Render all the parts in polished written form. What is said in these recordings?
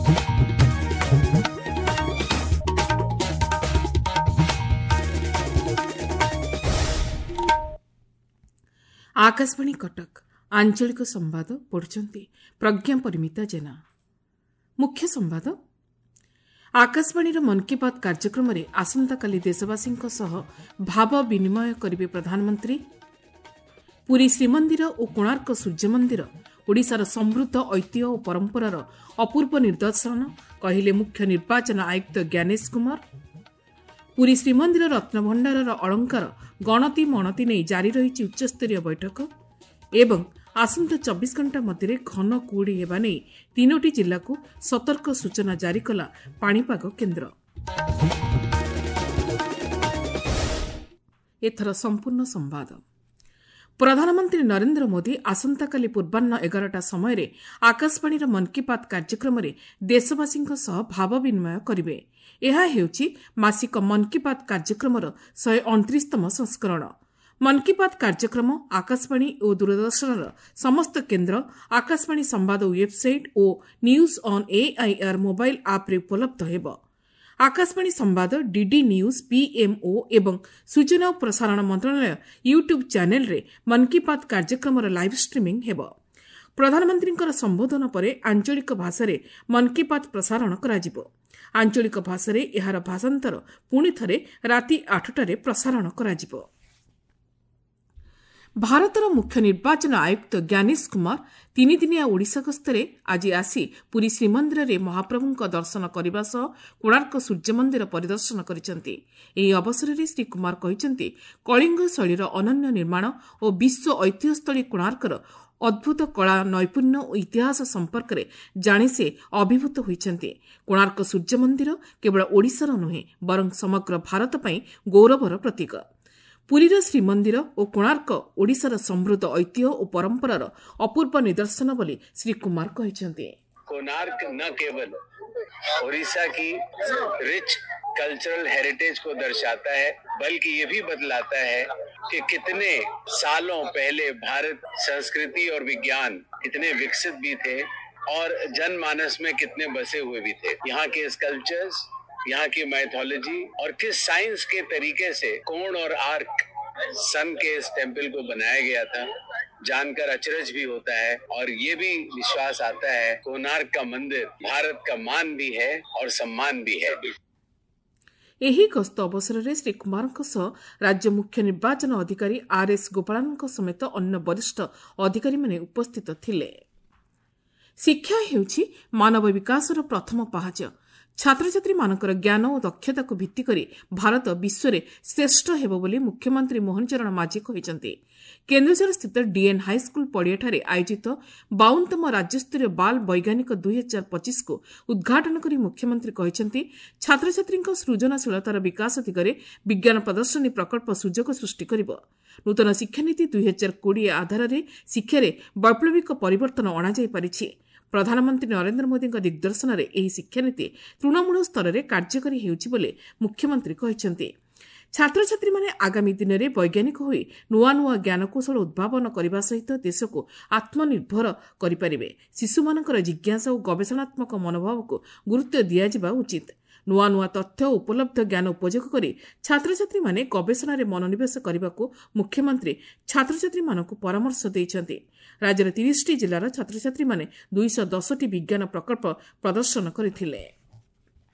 ଆକାଶବାଣୀ କଟକ, ଆଞ୍ଚଳିକ ସମ୍ବାଦ ପଢୁଛନ୍ତି ପ୍ରଜ୍ଞା ପରିମିତା ଜେନା। ମୁଖ୍ୟ ସମ୍ବାଦ। ଆକାଶବାଣୀର ମନ୍ କି ବାତ୍ କାର୍ଯ୍ୟକ୍ରମରେ ଆସନ୍ତାକାଲି ଦେଶବାସୀଙ୍କ ସହ ଭାବ ବିନିମୟ କରିବେ ପ୍ରଧାନମନ୍ତ୍ରୀ। ପୁରୀ ଶ୍ରୀମନ୍ଦିର ଓ କୋଣାର୍କ ସୂର୍ଯ୍ୟମନ୍ଦିର ଓଡ଼ିଶାର ସମୃଦ୍ଧ ଐତିହ୍ୟ ଓ ପରମ୍ପରାର ଅପୂର୍ବ ନିଦର୍ଶନ, କହିଲେ ମୁଖ୍ୟ ନିର୍ବାଚନ ଆୟୁକ୍ତ ଜ୍ଞାନେଶ କୁମାର। ପୁରୀ ଶ୍ରୀମନ୍ଦିର ରତ୍ନଭଣ୍ଡାରର ଅଳଙ୍କାର ଗଣତି ମଣତି ନେଇ ଜାରି ରହିଛି ଉଚ୍ଚସ୍ତରୀୟ ବୈଠକ। ଏବଂ ଆସନ୍ତା 24 ଘଣ୍ଟା ମଧ୍ୟରେ ଘନ କୁହୁଡ଼ି ହେବା ନେଇ 3ଟି ଜିଲ୍ଲାକୁ ସତର୍କ ସୂଚନା ଜାରି କଲା ପାଣିପାଗ କେନ୍ଦ୍ର। ଏଥର ସମ୍ପୂର୍ଣ୍ଣ ସମ୍ବାଦ। ପ୍ରଧାନମନ୍ତ୍ରୀ ନରେନ୍ଦ୍ର ମୋଦି ଆସନ୍ତାକାଲି ପୂର୍ବାହ୍ନ 11ଟା ସମୟରେ ଆକାଶବାଣୀର ମନ୍ କି ବାତ୍ କାର୍ଯ୍ୟକ୍ରମରେ ଦେଶବାସୀଙ୍କ ସହ ଭାବ ବିନିମୟ କରିବେ। ଏହା ହେଉଛି ମାସିକ ମନ୍ କି ବାତ୍ କାର୍ଯ୍ୟକ୍ରମର 129ତମ ସଂସ୍କରଣ। ମନ୍ କି ବାତ୍ କାର୍ଯ୍ୟକ୍ରମ ଆକାଶବାଣୀ ଓ ଦୂରଦର୍ଶନର ସମସ୍ତ କେନ୍ଦ୍ର, ଆକାଶବାଣୀ ସମ୍ବାଦ website O news on AIR mobile ଆପ୍ରେ ଉପଲବ୍ଧ ହେବ। ଆକାଶବାଣୀ ସମ୍ବାଦ, ଡିଡି ନ୍ୟୁଜ୍, ପିଏମ୍ଓ ଏବଂ ସୂଚନା ଓ ପ୍ରସାରଣ ମନ୍ତ୍ରଣାଳୟ ୟୁଟ୍ୟୁବ୍ ଚ୍ୟାନେଲ୍ରେ ମନ୍ କି ବାତ୍ କାର୍ଯ୍ୟକ୍ରମର ଲାଇଭ୍ ଷ୍ଟ୍ରିମିଂ ହେବ। ପ୍ରଧାନମନ୍ତ୍ରୀଙ୍କର ସମ୍ବୋଧନ ପରେ ଆଞ୍ଚଳିକ ଭାଷାରେ ମନ୍ କି ବାତ୍ ପ୍ରସାରଣ କରାଯିବ। ଆଞ୍ଚଳିକ ଭାଷାରେ ଏହାର ଭାଷାନ୍ତର ପୁଣି ଥରେ ରାତି 8ଟାରେ ପ୍ରସାରଣ କରାଯିବ। ଭାରତର ମୁଖ୍ୟ ନିର୍ବାଚନ ଆୟୁକ୍ତ ଜ୍ଞାନେଶ କୁମାର ତିନିଦିନିଆ ଓଡ଼ିଶା ଗସ୍ତରେ ଆଜି ଆସି ପୁରୀ ଶ୍ରୀମନ୍ଦିରରେ ମହାପ୍ରଭୁଙ୍କ ଦର୍ଶନ କରିବା ସହ କୋଣାର୍କ ସୂର୍ଯ୍ୟମନ୍ଦିର ପରିଦର୍ଶନ କରିଛନ୍ତି। ଏହି ଅବସରରେ ଶ୍ରୀ କୁମାର କହିଛନ୍ତି, କଳିଙ୍ଗ ଶୈଳୀର ଅନନ୍ୟ ନିର୍ମାଣ ଓ ବିଶ୍ୱ ଐତିହ୍ୟସ୍ଥଳୀ କୋଣାର୍କର ଅଦ୍ଭୁତ କଳା ନୈପୁଣ୍ୟ ଓ ଇତିହାସ ସମ୍ପର୍କରେ ଜାଣି ସେ ଅଭିଭୂତ ହୋଇଛନ୍ତି। କୋଣାର୍କ ସୂର୍ଯ୍ୟମନ୍ଦିର କେବଳ ଓଡ଼ିଶାର ନୁହେଁ, ବରଂ ସମଗ୍ର ଭାରତ ପାଇଁ ଗୌରବର ପ୍ରତୀକ। ପୁରୀର ଶ୍ରୀମନ୍ଦିର ଓ କୋଣାର୍କ ଓଡ଼ିଶାର ସମୃଦ୍ଧ ଐତିହ୍ୟ ଓ ପରମ୍ପରାର ଅପୂର୍ବ ନିଦର୍ଶନ ବୋଲି ଶ୍ରୀ କୁମାର କହିଛନ୍ତି। कोणार्क न केवल ओडिशा की रिच कल्चरल हेरिटेज को दर्शाता है, बल्कि ये भी बतलाता है कि कितने सालों पहले भारत संस्कृति और विज्ञान कितने विकसित भी थे और जनमानस में कितने बसे हुए भी थे। यहाँ के स्कल्पचर्स, यहाँ की मैथोलॉजी और किस साइंस के तरीके से कोण और आर्क सन के इस टेम्पल को बनाया गया था, जानकर अचरज भी होता है और ये भी विश्वास आता है कोणार्क का मंदिर भारत का मान भी है और सम्मान भी है। ଏହି ଗସ୍ତ ଅବସରରେ ଶ୍ରୀ କୁମାରଙ୍କ ସହ ରାଜ୍ୟ ମୁଖ୍ୟ ନିର୍ବାଚନ ଅଧିକାରୀ ଆର୍ ଏସ୍ ଗୋପାଳନଙ୍କ ସମେତ ଅନ୍ୟ ବରିଷ୍ଠ ଅଧିକାରୀମାନେ ଉପସ୍ଥିତ ଥିଲେ। ଶିକ୍ଷା ହେଉଛି ମାନବ ବିକାଶର ପ୍ରଥମ ପାହାଚ। ଛାତ୍ରଛାତ୍ରୀମାନଙ୍କର ଜ୍ଞାନ ଓ ଦକ୍ଷତାକୁ ଭିତ୍ତିକରି ଭାରତ ବିଶ୍ୱରେ ଶ୍ରେଷ୍ଠ ହେବ ବୋଲି ମୁଖ୍ୟମନ୍ତ୍ରୀ ମୋହନ ଚରଣ ମାଝୀ କହିଛନ୍ତି। କେନ୍ଦୁଝରସ୍ଥିତ ଡିଏନ୍ ହାଇସ୍କୁଲ ପଡ଼ିଆଠାରେ ଆୟୋଜିତ 52ତମ ରାଜ୍ୟସ୍ତରୀୟ ବାଲ ବୈଜ୍ଞାନିକ 2025କୁ ଉଦ୍ଘାଟନ କରି ମୁଖ୍ୟମନ୍ତ୍ରୀ କହିଛନ୍ତି, ଛାତ୍ରଛାତ୍ରୀଙ୍କ ସୃଜନଶୀଳତାର ବିକାଶ ଦିଗରେ ବିଜ୍ଞାନ ପ୍ରଦର୍ଶନୀ ପ୍ରକଳ୍ପ ସୁଯୋଗ ସୃଷ୍ଟି କରିବ। ନୂତନ ଶିକ୍ଷାନୀତି 2020 ଆଧାରରେ ଶିକ୍ଷାରେ ବୈପ୍ଳବିକ ପରିବର୍ତ୍ତନ ଅଣାଯାଇପାରିଛି। ପ୍ରଧାନମନ୍ତ୍ରୀ ନରେନ୍ଦ୍ର ମୋଦିଙ୍କ ଦିଗ୍ଦର୍ଶନରେ ଏହି ଶିକ୍ଷାନୀତି ତୃଣମୂଳ ସ୍ତରରେ କାର୍ଯ୍ୟକାରୀ ହେଉଛି ବୋଲି ମୁଖ୍ୟମନ୍ତ୍ରୀ କହିଛନ୍ତି। ଛାତ୍ରଛାତ୍ରୀମାନେ ଆଗାମୀ ଦିନରେ ବୈଜ୍ଞାନିକ ହୋଇ ନୂଆ ନୂଆ ଜ୍ଞାନକୌଶଳ ଉଦ୍ଭାବନ କରିବା ସହିତ ଦେଶକୁ ଆତ୍ମନିର୍ଭର କରିପାରିବେ। ଶିଶୁମାନଙ୍କର ଜିଜ୍ଞାସା ଓ ଗବେଷଣାତ୍ମକ ମନୋଭାବକୁ ଗୁରୁତ୍ୱ ଦିଆଯିବା ଉଚିତ। ନୂଆ ନୂଆ ତଥ୍ୟ ଓ ଉପଲବ୍ଧ ଜ୍ଞାନ ଉପଯୋଗ କରି ଛାତ୍ରଛାତ୍ରୀମାନେ ଗବେଷଣାରେ ମନୋନିବେଶ କରିବାକୁ ମୁଖ୍ୟମନ୍ତ୍ରୀ ଛାତ୍ରଛାତ୍ରୀମାନଙ୍କୁ ପରାମର୍ଶ ଦେଇଛନ୍ତି। ରାଜ୍ୟର 30ଟି ଜିଲ୍ଲାର ଛାତ୍ରଛାତ୍ରୀମାନେ 210ଟି ବିଜ୍ଞାନ ପ୍ରକଳ୍ପ ପ୍ରଦର୍ଶନ କରିଥିଲେ।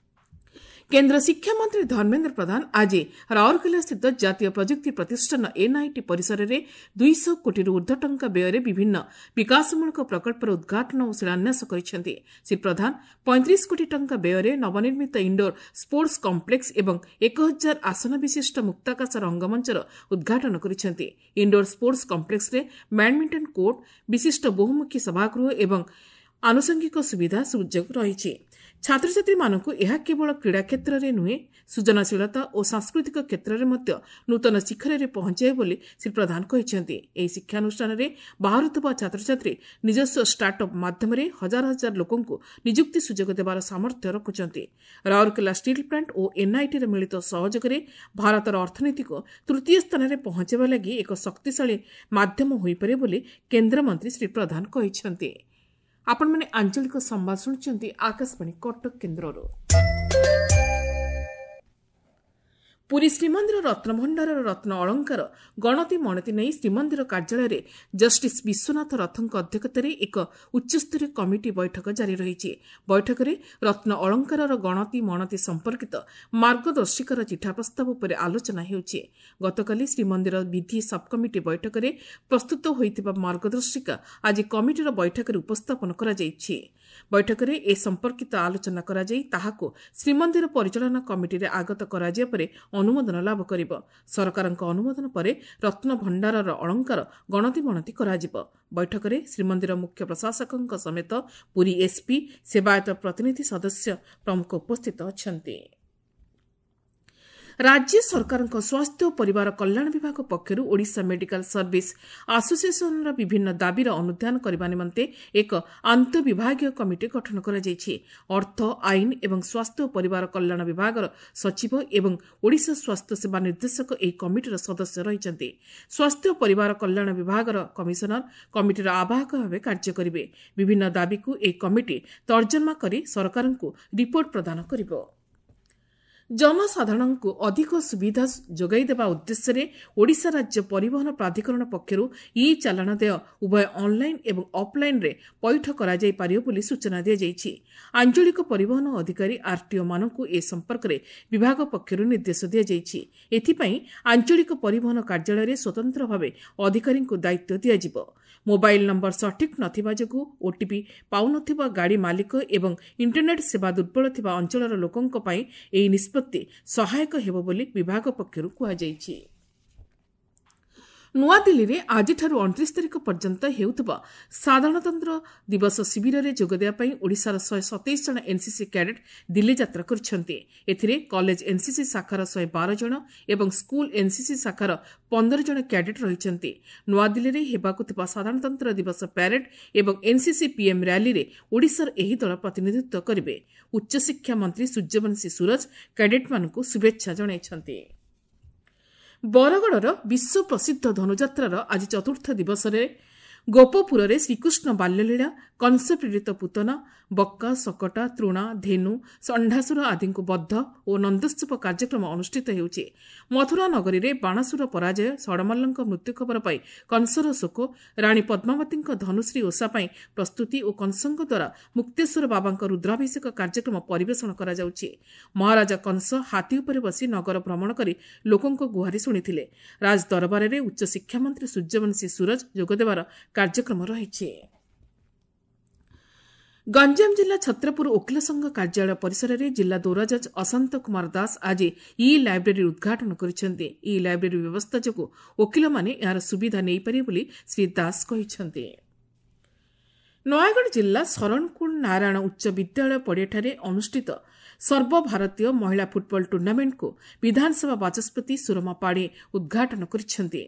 କେନ୍ଦ୍ର ଶିକ୍ଷାମନ୍ତ୍ରୀ ଧର୍ମେନ୍ଦ୍ର ପ୍ରଧାନ ଆଜି ରାଉରକେଲାସ୍ଥିତ ଜାତୀୟ ପ୍ରଯୁକ୍ତି ପ୍ରତିଷ୍ଠାନ ଏନ୍ଆଇଟି ପରିସରରେ 200 କୋଟିରୁ ଉର୍ଦ୍ଧ୍ୱ ଟଙ୍କା ବ୍ୟୟରେ ବିଭିନ୍ନ ବିକାଶମୂଳକ ପ୍ରକଳ୍ପର ଉଦ୍ଘାଟନ ଓ ଶିଳାନ୍ୟାସ କରିଛନ୍ତି। ଶ୍ରୀ ପ୍ରଧାନ 35 କୋଟି ଟଙ୍କା ବ୍ୟୟରେ ନବନିର୍ମିତ ଇଣ୍ଡୋର ସ୍ପୋର୍ଟସ କମ୍ପ୍ଲେକ୍ସ ଏବଂ 1000 ଆସନ ବିଶିଷ୍ଟ ମୁକ୍ତାକାଶ ରଙ୍ଗମଞ୍ଚର ଉଦ୍ଘାଟନ କରିଛନ୍ତି। ଇଣ୍ଡୋର ସ୍ପୋର୍ଟସ କମ୍ପ୍ଲେକ୍ସରେ ବ୍ୟାଡମିଣ୍ଟନ କୋର୍ଟ, ବିଶିଷ୍ଟ ବହୁମୁଖୀ ସଭାଗୃହ ଏବଂ ଆନୁଷଙ୍ଗିକ ସୁବିଧା ସୁଯୋଗ ରହିଛି। ଛାତ୍ରଛାତ୍ରୀମାନଙ୍କୁ ଏହା କେବଳ କ୍ରୀଡ଼ା କ୍ଷେତ୍ରରେ ନୁହେଁ, ସୃଜନଶୀଳତା ଓ ସାଂସ୍କୃତିକ କ୍ଷେତ୍ରରେ ମଧ୍ୟ ନୂତନ ଶିଖରରେ ପହଞ୍ଚାଇବ ବୋଲି ଶ୍ରୀ ପ୍ରଧାନ କହିଛନ୍ତି। ଏହି ଶିକ୍ଷାନୁଷ୍ଠାନରେ ବାହାରୁଥିବା ଛାତ୍ରଛାତ୍ରୀ ନିଜସ୍ୱ ଷ୍ଟାର୍ଟଅପ୍ ମାଧ୍ୟମରେ ହଜାର ହଜାର ଲୋକଙ୍କୁ ନିଯୁକ୍ତି ସୁଯୋଗ ଦେବାର ସାମର୍ଥ୍ୟ ରଖୁଛନ୍ତି। ରାଉରକେଲା ଷ୍ଟିଲ୍ ପ୍ଲାଣ୍ଟ ଓ ଏନ୍ଆଇଟିର ମିଳିତ ସହଯୋଗରେ ଭାରତର ଅର୍ଥନୀତିକୁ ତୃତୀୟ ସ୍ଥାନରେ ପହଞ୍ଚାଇବା ଲାଗି ଏକ ଶକ୍ତିଶାଳୀ ମାଧ୍ୟମ ହୋଇପାରିବ ବୋଲି କେନ୍ଦ୍ରମନ୍ତ୍ରୀ ଶ୍ରୀ ପ୍ରଧାନ କହିଛନ୍ତି। ଆପଣମାନେ ଆଞ୍ଚଳିକ ସମ୍ବାଦ ଶୁଣୁଛନ୍ତି ଆକାଶବାଣୀ କଟକ କେନ୍ଦ୍ରରୁ। ପୁରୀ ଶ୍ରୀମନ୍ଦିର ରତ୍ନଭଣ୍ଡାରର ରତ୍ନ ଅଳଙ୍କାର ଗଣତି ମଣତି ନେଇ ଶ୍ରୀମନ୍ଦିର କାର୍ଯ୍ୟାଳୟରେ ଜଷ୍ଟିସ୍ ବିଶ୍ୱନାଥ ରଥଙ୍କ ଅଧ୍ୟକ୍ଷତାରେ ଏକ ଉଚ୍ଚସ୍ତରୀୟ କମିଟି ବୈଠକ ଜାରି ରହିଛି। ବୈଠକରେ ରତ୍ନ ଅଳଙ୍କାରର ଗଣତି ମଣତି ସମ୍ପର୍କିତ ମାର୍ଗଦର୍ଶିକାର ଚିଠା ପ୍ରସ୍ତାବ ଉପରେ ଆଲୋଚନା ହେଉଛି। ଗତକାଲି ଶ୍ରୀମନ୍ଦିର ବିଧି ସବ୍କମିଟି ବୈଠକରେ ପ୍ରସ୍ତୁତ ହୋଇଥିବା ମାର୍ଗଦର୍ଶିକା ଆଜି କମିଟିର ବୈଠକରେ ଉପସ୍ଥାପନ କରାଯାଇଛି। ବୈଠକରେ ଏ ସମ୍ପର୍କିତ ଆଲୋଚନା କରାଯାଇ ତାହାକୁ ଶ୍ରୀମନ୍ଦିର ପରିଚାଳନା କମିଟିରେ ଆଗତ କରାଯିବା ପରେ ଅନୁମୋଦନ ଲାଭ କରିବ। ସରକାରଙ୍କ ଅନୁମୋଦନ ପରେ ରତ୍ନଭଣ୍ଡାରର ଅଳଙ୍କାର ଗଣତି ମଣତି କରାଯିବ। ବୈଠକରେ ଶ୍ରୀମନ୍ଦିର ମୁଖ୍ୟ ପ୍ରଶାସକଙ୍କ ସମେତ ପୁରୀ ଏସ୍ପି, ସେବାୟତ ପ୍ରତିନିଧି ସଦସ୍ୟ ପ୍ରମୁଖ ଉପସ୍ଥିତ ଅଛନ୍ତି। ରାଜ୍ୟ ସରକାରଙ୍କ ସ୍ୱାସ୍ଥ୍ୟ ଓ ପରିବାର କଲ୍ୟାଣ ବିଭାଗ ପକ୍ଷରୁ ଓଡ଼ିଶା ମେଡିକାଲ ସର୍ଭିସ ଆସୋସିଏସନର ବିଭିନ୍ନ ଦାବିର ଅନୁଧ୍ୟାନ କରିବା ନିମନ୍ତେ ଏକ ଆନ୍ତଃବିଭାଗୀୟ କମିଟି ଗଠନ କରାଯାଇଛି। ଅର୍ଥ, ଆଇନ ଏବଂ ସ୍ୱାସ୍ଥ୍ୟ ଓ ପରିବାର କଲ୍ୟାଣ ବିଭାଗର ସଚିବ ଏବଂ ଓଡ଼ିଶା ସ୍ୱାସ୍ଥ୍ୟ ସେବା ନିର୍ଦ୍ଦେଶକ ଏହି କମିଟିର ସଦସ୍ୟ ରହିଛନ୍ତି। ସ୍ୱାସ୍ଥ୍ୟ ଓ ପରିବାର କଲ୍ୟାଣ ବିଭାଗର କମିଶନର କମିଟିର ଆବାହକ ଭାବେ କାର୍ଯ୍ୟ କରିବେ। ବିଭିନ୍ନ ଦାବିକୁ ଏହି କମିଟି ତର୍ଜମା କରି ସରକାରଙ୍କୁ ରିପୋର୍ଟ ପ୍ରଦାନ କରିବ। ଜନସାଧାରଣଙ୍କୁ ଅଧିକ ସୁବିଧା ଯୋଗାଇ ଦେବା ଉଦ୍ଦେଶ୍ୟରେ ଓଡ଼ିଶା ରାଜ୍ୟ ପରିବହନ ପ୍ରାଧିକରଣ ପକ୍ଷରୁ ଇ ଚାଲାଣ ଦେୟ ଉଭୟ ଅନ୍ଲାଇନ୍ ଏବଂ ଅଫ୍ଲାଇନ୍ରେ ପଇଠ କରାଯାଇପାରିବ ବୋଲି ସୂଚନା ଦିଆଯାଇଛି। ଆଞ୍ଚଳିକ ପରିବହନ ଅଧିକାରୀ ଆର୍ଟିଓମାନଙ୍କୁ ଏ ସମ୍ପର୍କରେ ବିଭାଗ ପକ୍ଷରୁ ନିର୍ଦ୍ଦେଶ ଦିଆଯାଇଛି। ଏଥିପାଇଁ ଆଞ୍ଚଳିକ ପରିବହନ କାର୍ଯ୍ୟାଳୟରେ ସ୍ୱତନ୍ତ୍ର ଭାବେ ଅଧିକାରୀଙ୍କୁ ଦାୟିତ୍ୱ ଦିଆଯିବ। ମୋବାଇଲ୍ ନମ୍ବର ସଠିକ୍ ନଥିବା ଯୋଗୁଁ ଓଟିପି ପାଉନଥିବା ଗାଡ଼ି ମାଲିକ ଏବଂ ଇଣ୍ଟରନେଟ୍ ସେବା ଦୁର୍ବଳ ଥିବା ଅଞ୍ଚଳର ଲୋକଙ୍କ ପାଇଁ ଏହି ନିଷ୍ପତ୍ତି ସହାୟକ ହେବ ବୋଲି ବିଭାଗ ପକ୍ଷରୁ କୁହାଯାଇଛି। ନୂଆଦିଲ୍ଲୀରେ ଆଜିଠାରୁ 29 ତାରିଖ ପର୍ଯ୍ୟନ୍ତ ହେଉଥିବା ସାଧାରଣତନ୍ତ୍ର ଦିବସ ଶିବିରରେ ଯୋଗଦେବା ପାଇଁ ଓଡ଼ିଶାର 127 ଜଣ ଏନ୍ସିସି କ୍ୟାଡେଟ୍ ଦିଲ୍ଲୀ ଯାତ୍ରା କରିଛନ୍ତି। ଏଥିରେ କଲେଜ ଏନ୍ସିସି ଶାଖାର 112 ଜଣ ଏବଂ ସ୍କୁଲ ଏନ୍ସିସି ଶାଖାର 15 ଜଣ କ୍ୟାଡେଟ୍ ରହିଛନ୍ତି। ନୂଆଦିଲ୍ଲୀରେ ହେବାକୁ ଥିବା ସାଧାରଣତନ୍ତ୍ର ଦିବସ ପ୍ୟାରେଡ୍ ଏବଂ ଏନ୍ସିସି ପିଏମ୍ ର୍ୟାଲିରେ ଓଡ଼ିଶାର ଏହି ଦଳ ପ୍ରତିନିଧିତ୍ୱ କରିବେ। ଉଚ୍ଚଶିକ୍ଷା ମନ୍ତ୍ରୀ ସୂର୍ଯ୍ୟବଂଶୀ ସୂରଜ କ୍ୟାଡେଟ୍ମାନଙ୍କୁ ଶୁଭେଚ୍ଛା ଜଣାଇଛନ୍ତି। ବରଗଡ଼ର ବିଶ୍ୱ ପ୍ରସିଦ୍ଧ ଧନୁଯାତ୍ରାର ଆଜି ଚତୁର୍ଥ ଦିବସରେ ଗୋପପୁରରେ ଶ୍ରୀକୃଷ୍ଣ ବାଲ୍ୟଲୀଳା, କଂସପ୍ରେରିତ ପୁତନା, ବକ୍କା, ଶକଟା, ତୃଣା, ଧେନୁ, ଷଣ୍ଢାସୁର ଆଦିଙ୍କୁ ବଦ୍ଧ ଓ ନନ୍ଦୋତ୍ସବ କାର୍ଯ୍ୟକ୍ରମ ଅନୁଷ୍ଠିତ ହେଉଛି। ମଥୁରା ନଗରୀରେ ବାଣାସୁର ପରାଜୟ, ଷଡ଼ମଲ୍ଲଙ୍କ ମୃତ୍ୟୁ ଖବର ପାଇ କଂସର ଶୋକ, ରାଣୀ ପଦ୍ମାବତୀଙ୍କ ଧନୁଶ୍ରୀ ଓଷା ପାଇଁ ପ୍ରସ୍ତୁତି ଓ କଂସଙ୍କ ଦ୍ୱାରା ମୁକ୍ତେଶ୍ୱର ବାବାଙ୍କ ରୁଦ୍ରାଭିଷେକ କାର୍ଯ୍ୟକ୍ରମ ପରିବେଷଣ କରାଯାଉଛି। ମହାରାଜା କଂସ ହାତୀ ଉପରେ ବସି ନଗର ଭ୍ରମଣ କରି ଲୋକଙ୍କ ଗୁହାରି ଶୁଣିଥିଲେ। ରାଜଦରବାରରେ ଉଚ୍ଚଶିକ୍ଷାମନ୍ତ୍ରୀ ସୂର୍ଯ୍ୟବଂଶୀ ସୂରଜ ଯୋଗଦେବାର କାର୍ଯ୍ୟକ୍ରମ ରହିଛି। ଗଞ୍ଜାମ ଜିଲ୍ଲା ଛତ୍ରପୁର ଓକିଲ ସଂଘ କାର୍ଯ୍ୟାଳୟ ପରିସରରେ ଜିଲ୍ଲା ଦୌରାଜଜ୍ ଅଶାନ୍ତ କୁମାର ଦାସ ଆଜି ଇ ଲାଇବ୍ରେରୀ ଉଦ୍ଘାଟନ କରିଛନ୍ତି। ଇ ଲାଇବ୍ରେରୀ ବ୍ୟବସ୍ଥା ଯୋଗୁଁ ଓକିଲମାନେ ଏହାର ସୁବିଧା ନେଇପାରିବେ ବୋଲି ଶ୍ରୀ ଦାସ କହିଛନ୍ତି। ନୟାଗଡ଼ ଜିଲ୍ଲା ଶରଣକୁଳ ନାରାୟଣ ଉଚ୍ଚ ବିଦ୍ୟାଳୟ ପଡ଼ିଆଠାରେ ଅନୁଷ୍ଠିତ ସର୍ବଭାରତୀୟ ମହିଳା ଫୁଟବଲ ଟୁର୍ଣ୍ଣାମେଣ୍ଟକୁ ବିଧାନସଭା ବାଚସ୍ପତି ସୁରମା ପାଢ଼ୀ ଉଦ୍ଘାଟନ କରିଛନ୍ତି।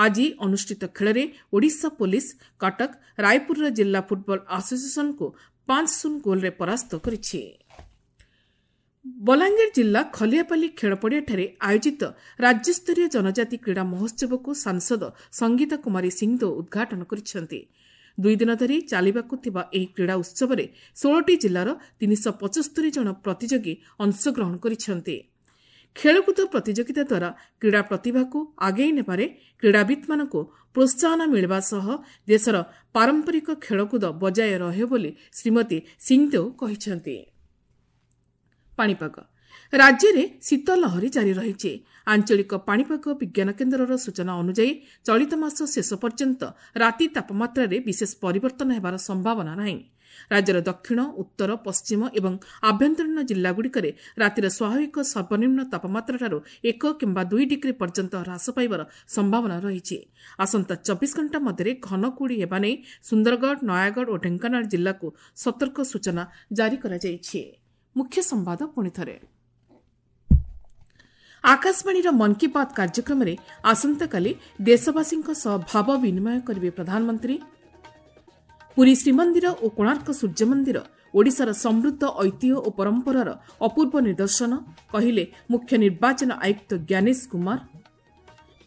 ଆଜି ଅନୁଷ୍ଠିତ ଖେଳରେ ଓଡ଼ିଶା ପୋଲିସ କଟକ ରାୟପୁରର ଜିଲ୍ଲା ଫୁଟବଲ ଆସୋସିଏସନକୁ 5-0 ଗୋଲରେ ପରାସ୍ତ କରିଛି। ବଲାଙ୍ଗୀର ଜିଲ୍ଲା ଖଲିଆପାଲି ଖେଳପଡ଼ିଆଠାରେ ଆୟୋଜିତ ରାଜ୍ୟସ୍ତରୀୟ ଜନଜାତି କ୍ରୀଡ଼ା ମହୋତ୍ସବକୁ ସାଂସଦ ସଙ୍ଗୀତା କୁମାରୀ ସିଂଦେଓ ଉଦ୍ଘାଟନ କରିଛନ୍ତି। 2 ଦିନ ଧରି ଚାଲିବାକୁ ଥିବା ଏହି କ୍ରୀଡ଼ା ଉତ୍ସବରେ 16ଟି ଜିଲ୍ଲାର 375 ଜଣ ପ୍ରତିଯୋଗୀ ଅଂଶଗ୍ରହଣ କରିଛନ୍ତି। ଖେଳକୁଦ ପ୍ରତିଯୋଗିତା ଦ୍ୱାରା କ୍ରୀଡ଼ା ପ୍ରତିଭାକୁ ଆଗେଇ ନେବାରେ କ୍ରୀଡ଼ାବିତ୍ମାନଙ୍କୁ ପ୍ରୋତ୍ସାହନ ମିଳିବା ସହ ଦେଶର ପାରମ୍ପରିକ ଖେଳକୁଦ ବଜାୟ ରହିବ ବୋଲି ଶ୍ରୀମତୀ ସିଂଦେଓ କହିଛନ୍ତି। ପାଣିପାଗ। ରାଜ୍ୟରେ ଶୀତ ଲହରୀ ଜାରି ରହିଛି। ଆଞ୍ଚଳିକ ପାଣିପାଗ ବିଜ୍ଞାନ କେନ୍ଦ୍ରର ସୂଚନା ଅନୁଯାୟୀ ଚଳିତ ମାସ ଶେଷ ପର୍ଯ୍ୟନ୍ତ ରାତି ତାପମାତ୍ରାରେ ବିଶେଷ ପରିବର୍ତ୍ତନ ହେବାର ସମ୍ଭାବନା ନାହିଁ। ରାଜ୍ୟର ଦକ୍ଷିଣ, ଉତ୍ତର, ପଶ୍ଚିମ ଏବଂ ଆଭ୍ୟନ୍ତରୀଣ ଜିଲ୍ଲାଗୁଡ଼ିକରେ ରାତିର ସ୍ୱାଭାବିକ ସର୍ବନିମ୍ନ ତାପମାତ୍ରାଠାରୁ 1 କିମ୍ବା 2 ଡିଗ୍ରୀ ପର୍ଯ୍ୟନ୍ତ ହ୍ରାସ ପାଇବାର ସମ୍ଭାବନା ରହିଛି। ଆସନ୍ତା 24 ଘଣ୍ଟା ମଧ୍ୟରେ ଘନ କୁହୁଡ଼ି ହେବା ନେଇ ସୁନ୍ଦରଗଡ଼, ନୟାଗଡ଼ ଓ ଢେଙ୍କାନାଳ ଜିଲ୍ଲାକୁ ସତର୍କ ସୂଚନା ଜାରି କରାଯାଇଛି। ମୁଖ୍ୟ ସମ୍ବାଦ ପୁଣିଥରେ। ଆକାଶବାଣୀର ମନ୍ କି ବାତ୍ କାର୍ଯ୍ୟକ୍ରମରେ ଆସନ୍ତାକାଲି ଦେଶବାସୀଙ୍କ ସହ ଭାବ ବିନିମୟ କରିବେ ପ୍ରଧାନମନ୍ତ୍ରୀ। ପୁରୀ ଶ୍ରୀମନ୍ଦିର ଓ କୋଣାର୍କ ସୂର୍ଯ୍ୟମନ୍ଦିର ଓଡ଼ିଶାର ସମୃଦ୍ଧ ଐତିହ୍ୟ ଓ ପରମ୍ପରାର ଅପୂର୍ବ ନିଦର୍ଶନ, କହିଲେ ମୁଖ୍ୟ ନିର୍ବାଚନ ଆୟୁକ୍ତ ଜ୍ଞାନେଶ କୁମାର।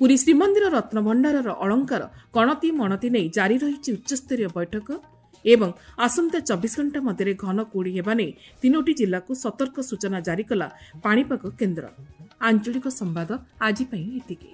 ପୁରୀ ଶ୍ରୀମନ୍ଦିର ରତ୍ନଭଣ୍ଡାରର ଅଳଙ୍କାର ଗଣତି ମଣତି ନେଇ ଜାରି ରହିଛି ଉଚ୍ଚସ୍ତରୀୟ ବୈଠକ। ଏବଂ ଆସନ୍ତା 24 ଘଣ୍ଟା ମଧ୍ୟରେ ଘନ କୁହୁଡ଼ି ହେବା ନେଇ 3ଟି ଜିଲ୍ଲାକୁ ସତର୍କ ସୂଚନା ଜାରି କଲା ପାଣିପାଗ କେନ୍ଦ୍ର। ଆଞ୍ଚଳିକ ସମ୍ବାଦ ଆଜି ପାଇଁ ଏତିକି।